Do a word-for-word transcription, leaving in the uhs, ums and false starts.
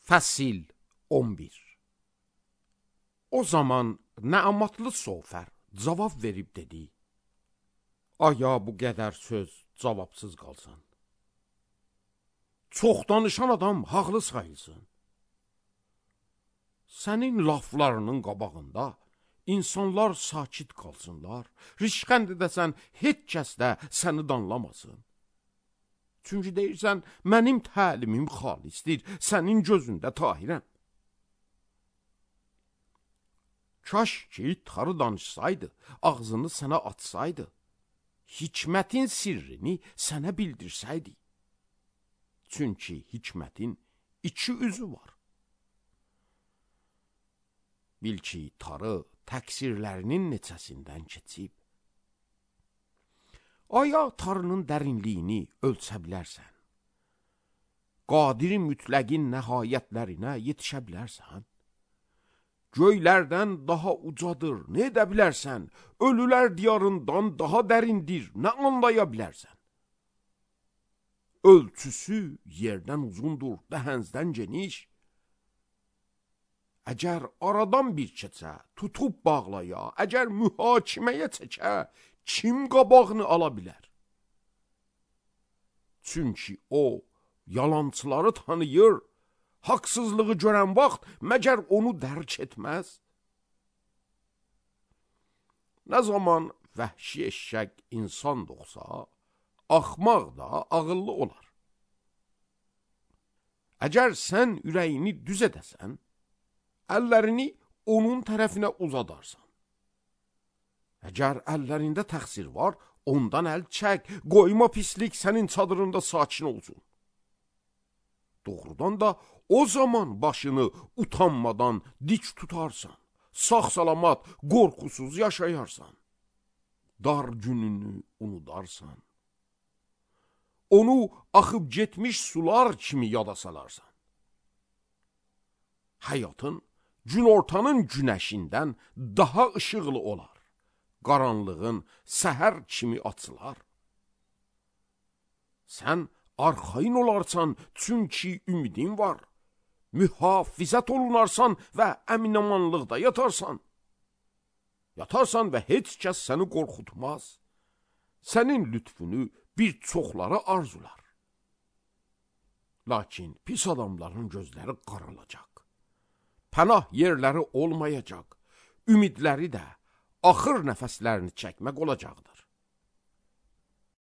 Fəsil on bir. O zaman Nəamatlı Sofər cavab verib dedi: Aya bu qədər söz cavabsız qalsın. Çox danışan adam haqlı sayılsın. Sənin laflarının qabağında insanlar sakit qalsınlar, rişxənd edəsən heç kəs də səni danlamasın. Çünki deyirsən, mənim təlimim xalisdir, sənin gözündə tahirəm. Kaş ki, tarı danışsaydı, ağzını sənə açsaydı, hikmətin sirrini sənə bildirsəydi. Çünki hikmətin iki üzü var. Bil ki, tarı təqsirlərinin neçəsindən keçib. Aya tarının dərinliyini ölçə bilərsən. Qadir mütləqin nəhayətlərinə yetişə bilərsən. Göylərdən daha ucadır, nə edə bilərsən? Ölülər diyarından daha dərindir, nə anlaya bilərsən? Ölçüsü yerdən uzundur, dəhəzdən geniş. Əgər aradan bir keçə, tutub bağlaya, əgər mühakiməyə çəkə, kim qabağını ala bilər? Çünki o, yalançıları tanıyır, haqsızlığı görən vaxt məgər onu dərk etməz? Nə zaman vəhşi eşşək insan doğsa, axmaq da ağıllı olar. Əgər sən ürəyini düz edəsən, əllərini onun tərəfinə uzadarsan. Əgər əllərində təqsir var, ondan əl çək, qoyma pislik sənin çadırında sakin olsun. Doğrudan da o zaman başını utanmadan dik tutarsan, sağ-salamat, qorxusuz yaşayarsan, dar gününü unudarsan, onu axıb getmiş sular kimi yada salarsan. Həyatın günortanın günəşindən daha ışıqlı olar, qaranlığın səhər kimi açılar. Sən arxayın olarsan, çünki ümidin var. Mühafizət olunarsan və əminamanlıqda yatarsan. Yatarsan və heç kəs səni qorxutmaz. Sənin lütfünü bir çoxları arzular. Lakin pis adamların gözləri qaralacaq. Pənah yerləri olmayacaq. Ümidləri də axır nəfəslərini çəkmək olacaqdır.